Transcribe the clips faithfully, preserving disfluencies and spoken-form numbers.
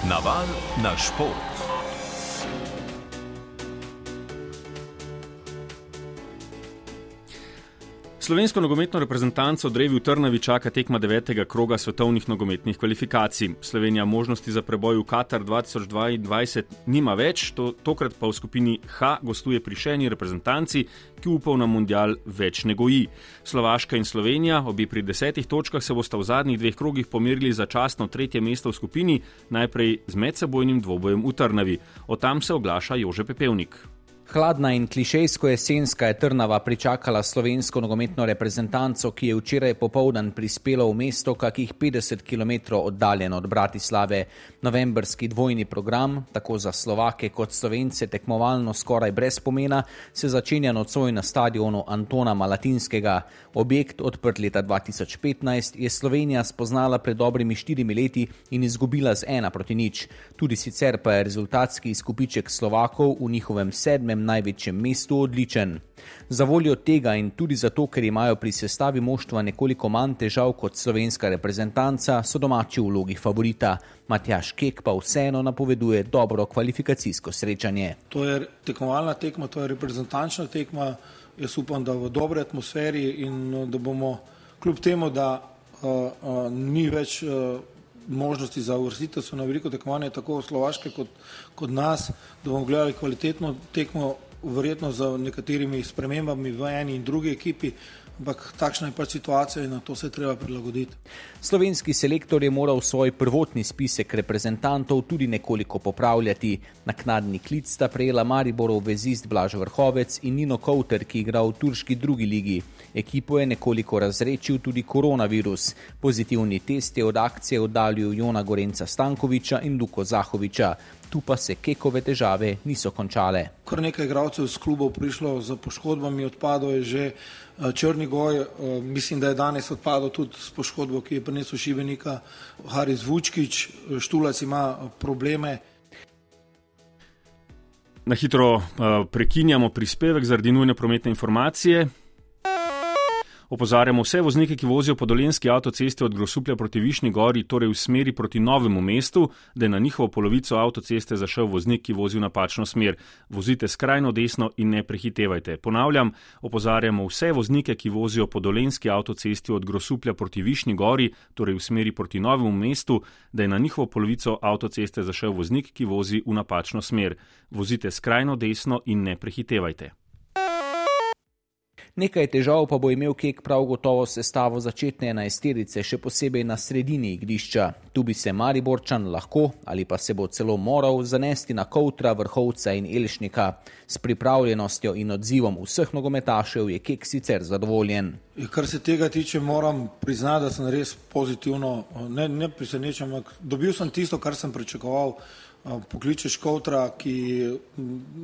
Naval na šport. Slovensko nogometno reprezentanco Drevi v Trnavi čaka tekma devetega kroga svetovnih nogometnih kvalifikacij. Slovenija možnosti za preboj v Katar dva tisoč dvaindvajset nima več, to, tokrat pa v skupini H gostuje pri še eni reprezentanci, ki upov na mundial več ne goji. Slovaška in Slovenija, obi pri desetih točkah, se bosta v zadnjih dveh krogih pomerili za častno tretje mesto v skupini, najprej z medsebojnim dvobojem v Trnavi. Od tam se oglaša Jože Pepevnik. Hladna in klišejsko jesenska je Trnava pričakala slovensko nogometno reprezentanco, ki je včeraj popoldan prispela v mesto kakih petdeset kilometrov oddaljeno od Bratislave. Novembrski dvojni program, tako za Slovake kot Slovence tekmovalno skoraj brez pomena, se začenja nocoj na stadionu Antona Malatinskega. Objekt, odprt leta dva tisoč petnajst, je Slovenija spoznala pred dobrimi štirimi leti in izgubila z ena proti nič. Tudi sicer pa je rezultatski izkupiček Slovakov v njihovem sedmem največjem mestu odličen. Za voljo tega in tudi zato, ker imajo pri sestavi moštva nekoliko manj težav kot slovenska reprezentanca, so domači v vlogi favorita. Matjaž Kek pa vseeno napoveduje dobro kvalifikacijsko srečanje. To je tekmovalna tekma, to je reprezentančna tekma. Jaz upam, da v dobrej atmosferi in da bomo kljub temu, da uh, uh, ni več uh, možnosti za uvrstitev so na veliko tekmovanje, tako Slovaške kot, kot nas, da bomo gledali kvalitetno tekmo, verjetno z nekaterimi spremembami v eni in drugi ekipi, ampak takšna je pač situacija in na to se treba prilagoditi. Slovenski selektor je moral svoj prvotni spisek reprezentantov tudi nekoliko popravljati. Naknadni klic sta prejela Mariborov vezist Blaž Vrhovec in Nino Kovter, ki igra v turški drugi ligi. Ekipo je nekoliko razrečil tudi koronavirus. Pozitivni test je od akcije oddaljil Jona Gorenca Stankoviča in Luko Zahoviča. Tu pa se Kekove težave niso končale. Kar nekaj igralcev z klubov prišlo z poškodbami, odpadel je že Črnigoj, mislim, da je danes odpadel tudi s poškodbo, ki je prinesel Šibenika, Haris Vučkič, Štulac ima probleme. Na hitro prekinjamo prispevek zaradi nujne prometne informacije. Opozarjamo vse voznike, ki vozijo po dolenjski avtocesti od Grosuplja proti Višnji Gori, torej v smeri proti Novemu mestu, da je na njihovo polovico avtoceste zašel voznik, ki vozi v napačno smer. Vozite skrajno desno in ne prehitevajte. Ponavljam, opozarjamo vse voznike, ki vozijo po dolenjski avtocesti od Grosuplja proti Višnji Gori, torej v smeri proti Novemu mestu, da je na njihovo polovico avtoceste zašel voznik, ki vozi v napačno smer. Vozite skrajno desno in ne prehitevajte. Nekaj težav pa bo imel Kek prav gotovo sestavo začetne enajsterice, še posebej na sredini igrišča. Tu bi se Mariborčan lahko ali pa se bo celo moral zanesti na Kovtra, Vrhovca in Elšnika. S pripravljenostjo in odzivom vseh nogometašev je Kek sicer zadovoljen. Kar se tega tiče, moram priznati, da sem res pozitivno, ne, ne presenečen, ampak dobil sem tisto, kar sem pričakoval. Pokličeš Kovtra, ki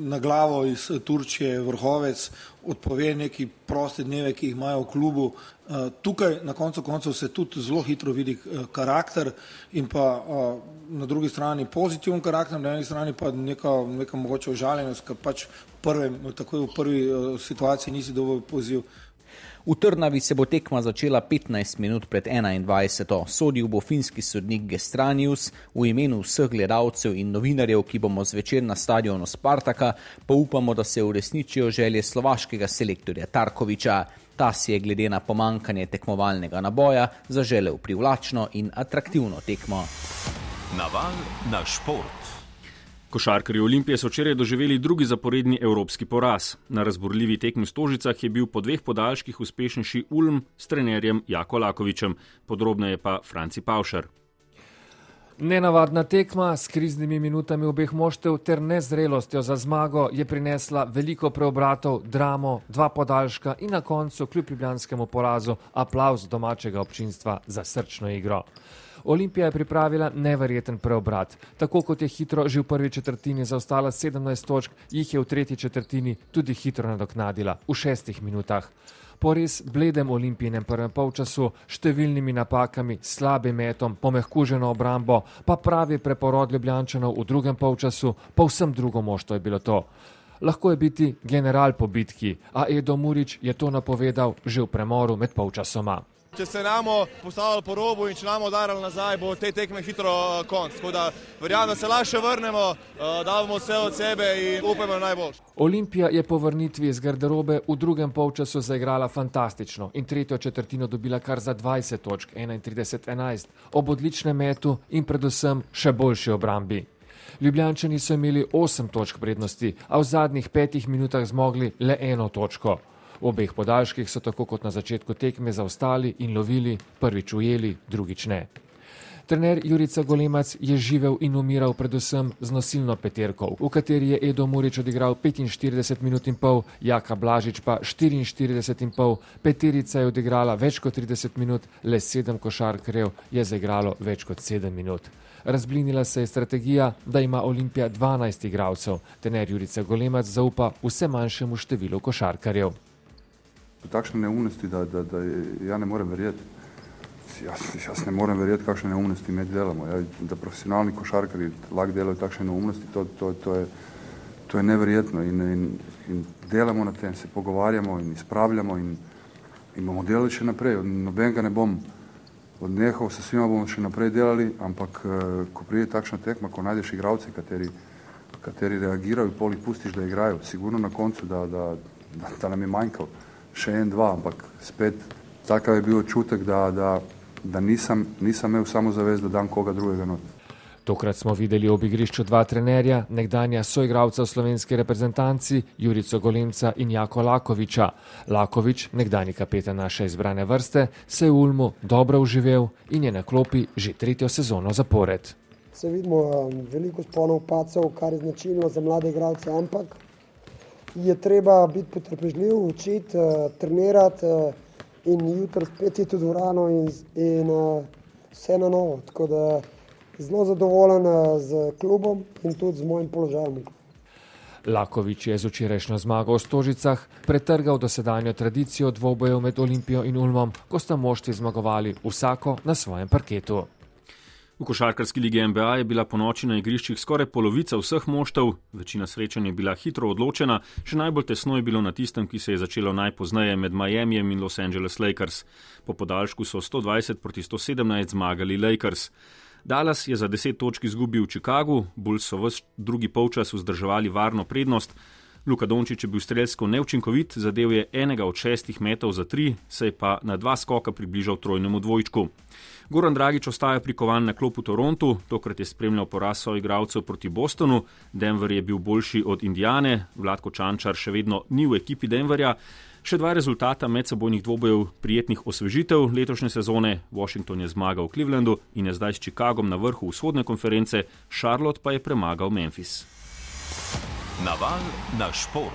na glavo iz Turčije, Vrhovec, odpove neki proste dneve, ki jih imajo v klubu. Tukaj na koncu koncev se tudi zelo hitro vidi karakter in pa na drugi strani pozitiven karakter, na eni strani pa neka, neka mogoče užaljenost, ker pač prve, takoj v prvi situaciji nisi dovolj poziv. V Trnavi se bo tekma začela petnajst minut pred enaindvajseto. Sodil bo finski sodnik Gestranius. V imenu vseh gledalcev in novinarjev, ki bomo zvečer na stadionu Spartaka, pa upamo, da se uresničijo želje slovaškega selektorja Tarkoviča. Ta si je glede na pomankanje tekmovalnega naboja zaželel privlačno in atraktivno tekmo. Naval na šport. Košarkarji Olimpije so včeraj doživeli drugi zaporedni evropski poraz. Na razburljivi tekmi v Stožicah je bil po dveh podaljških uspešnejši Ulm s trenerjem Jako Lakovičem. Podrobneje pa Franci Pavšar. Nenavadna tekma s kriznimi minutami obeh moštev ter nezrelostjo za zmago je prinesla veliko preobratov, dramo, dva podaljška in na koncu kljub ljubljanskemu porazu aplavz domačega občinstva za srčno igro. Olimpija je pripravila neverjeten preobrat. Tako kot je hitro že v prvi četrtini zaostala sedemnajst točk, jih je v tretji četrtini tudi hitro nadoknadila v šestih minutah. Po res bledem Olimpijinem prvem polčasu, številnimi napakami, slabim metom, pomehkuženo obrambo, pa pravi preporod Ljubljančanov v drugem polčasu, povsem drugo moštvo je bilo to. Lahko je biti general po bitki, a Edo Murić je to napovedal že v premoru med polčasoma. Če se namo postavili po robu in če namo udarali nazaj, bo te tekme hitro konc. Tako da verjamem, da se lahko še vrnemo, da bomo vse od sebe in upamo najboljše. Olimpija je po vrnitvi iz garderobe v drugem polčasu zaigrala fantastično in tretjo četrtino dobila kar za dvajset točk, enaintrideset enajst, ob odličnem metu in predvsem še boljši obrambi. Ljubljančani so imeli osem točk prednosti, a v zadnjih petih minutah zmogli le eno točko. V obeh podaljških so tako kot na začetku tekme zaostali in lovili, prvič ujeli, drugič ne. Trener Jurica Golemac je živel in umiral predvsem z nosilno peterko, v kateri je Edo Murić odigral petinštirideset minut in pol, Jaka Blažič pa štiriinštirideset in pol, peterica je odigrala več kot trideset minut, le sedem košarkarjev je zaigralo več kot sedem minut. Razblinila se je strategija, da ima Olimpija dvanajst igralcev. Trener Jurica Golemac zaupa vse manjšemu številu košarkarjev. Takšne neumnosti, da, da, da ja ne morem verjeti. Jaz, jaz ne morem verjeti, kakšne neumnosti mi delamo. Ja, da profesionalni košarkari lahko delajo takšne neumnosti, to, to, to, je, to je neverjetno. In, in, in delamo na tem, se pogovarjamo in izpravljamo in, in bomo delali še naprej. Nobenega ne bom odnehal, se svima bomo še naprej delali, ampak ko pride takšna tekma, ko najdeš igralce, kateri, kateri reagirajo, pol jih pustiš, da igrajo. Sigurno na koncu, da, da, da, da nam je manjkal še en, dva, ampak spet takav je bil občutek, da, da, da nisem, nisem imel samozavest, da dam koga drugega not. Tokrat smo videli ob igrišču dva trenerja, nekdanja soigralca v slovenski reprezentanci, Jurico Golemca in Jako Lakoviča. Lakovič, nekdanji kapetan naše izbrane vrste, se je v Ulmu dobro uživel in je na klopi že tretjo sezono zapored. Se vidimo veliko spolov pacov, kar je značilno za mlade igralce, ampak je treba biti potrpežljiv, učiti, uh, trenirati uh, in jutro spet iti v dvorano in, in uh, vse na novo. Tako da zelo zadovoljen uh, z klubom in tudi z mojim položajem. Lakovič je z včerajšnjo zmago v Stožicah pretrgal dosedanjo tradicijo dvobojev med Olimpijo in Ulmom, ko sta moštvi zmagovali vsako na svojem parketu. V košarkarski ligi N B A je bila ponoči na igriščih skoraj polovica vseh moštev, večina srečanj je bila hitro odločena, še najbolj tesno je bilo na tistem, ki se je začelo najpozneje med Miamijem in Los Angeles Lakers. Po podaljšku so sto dvajset proti sto sedemnajst zmagali Lakers. Dallas je za deset točk izgubil v Chicagu, Bulls so ves drugi polčas vzdrževali varno prednost. Luka Dončić je bil strelsko neučinkovit, zadel je enega od šestih metov za tri, se je pa na dva skoka približal trojnemu dvojčku. Goran Dragić ostaja prikovan na klop v Torontu, tokrat je spremljal poraz soigralcev proti Bostonu, Denver je bil boljši od Indiane, Vlatko Čančar še vedno ni v ekipi Denverja. Še dva rezultata medsebojnih dvobojev prijetnih osvežitev letošnje sezone, Washington je zmagal v Clevelandu in je zdaj s Chicagom na vrhu vzhodne konference, Charlotte pa je premagal Memphis. Naval na šport.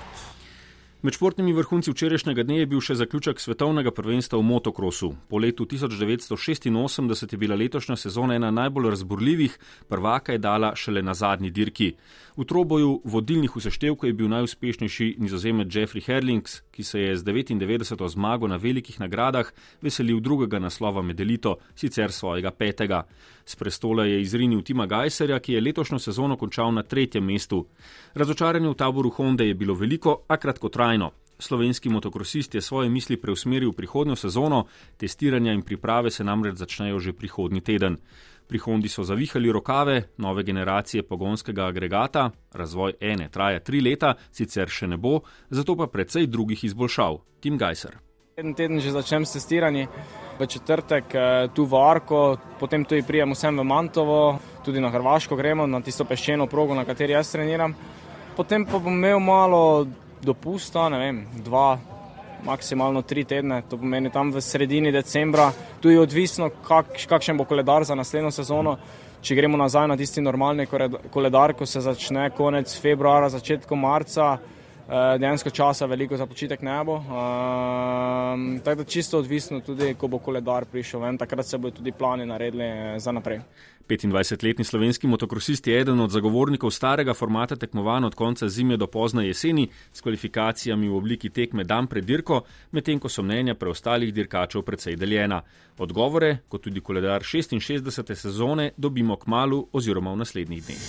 Med športnimi vrhunci včerajšnjega dne je bil še zaključek svetovnega prvenstva v motokrosu. Po letu tisoč devetsto šestinosemdeset je bila letošnja sezona ena najbolj razburljivih, prvaka je dala šele na zadnji dirki. V troboju vodilnih v seštevku je bil najuspešnejši Nizozemec Jeffrey Herlings, ki se je z devetindevetdeseto zmago na velikih nagradah veselil drugega naslova med elito, sicer svojega petega. S prestola je izrinil Tima Gajserja, ki je letošnjo sezono končal na tretjem mestu. Razočaranje v taboru Honde je bilo veliko, a kratkotrajno. Slovenski motokrosist je svoje misli preusmeril v prihodnjo sezono, testiranja in priprave se namreč začnejo že prihodnji teden. Pri Hondi so zavihali rokave nove generacije pogonskega agregata, razvoj ene traja tri leta, sicer še ne bo, zato pa precej drugih izboljšav. Tim Gajser. En teden že začnem s testiranji, v četrtek tu v Arko, potem tudi prijem vsem v Mantovo, tudi na Hrvaško gremo, na tisto peščeno progo, na kateri jaz treniram. Potem pa bom imel malo dopusta, ne vem, dva, maksimalno tri tedne, to pomeni tam v sredini decembra. Tu je odvisno, kak, kakšen bo koledar za naslednjo sezono. Če gremo nazaj na tisti normalni koledar, ko se začne konec februara, začetkom marca, dejansko časa veliko za počitek ne bo. Um, tako da čisto odvisno tudi, ko bo koledar prišel ven, takrat se bodo tudi plani naredili za naprej. petindvajsetletni slovenski motokrosist je eden od zagovornikov starega formata tekmovanj od konca zime do pozne jeseni s kvalifikacijami v obliki tekme dan pred dirko, medtem ko so mnenja preostalih dirkačev precej deljena. Odgovore, kot tudi koledar šestinšestdesete sezone, dobimo kmalu oziroma v naslednjih dneh.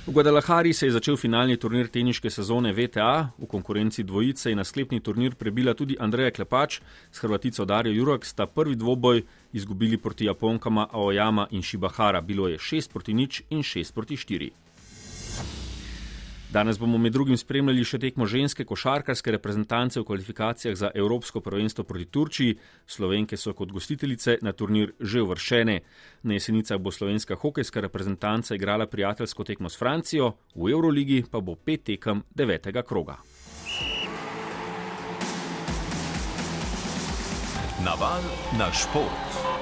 V Guadalajari se je začel finalni turnir teniške sezone V T A. V konkurenci dvojice je na sklepni turnir prebila tudi Andreja Klepač. S Hrvatico Darjo Jurak sta prvi dvoboj izgubili proti Japonkama Aoyama in Shibahara. Bilo je šest proti nič in šest proti štiri. Danes bomo med drugim spremljali še tekmo ženske košarkarske reprezentance v kvalifikacijah za Evropsko prvenstvo proti Turčiji. Slovenke so kot gostiteljice na turnir že uvrščene. Na Jesenicah bo slovenska hokejska reprezentanca igrala prijateljsko tekmo s Francijo, v Evroligi pa bo pet tekem devetega kroga. Naval na šport.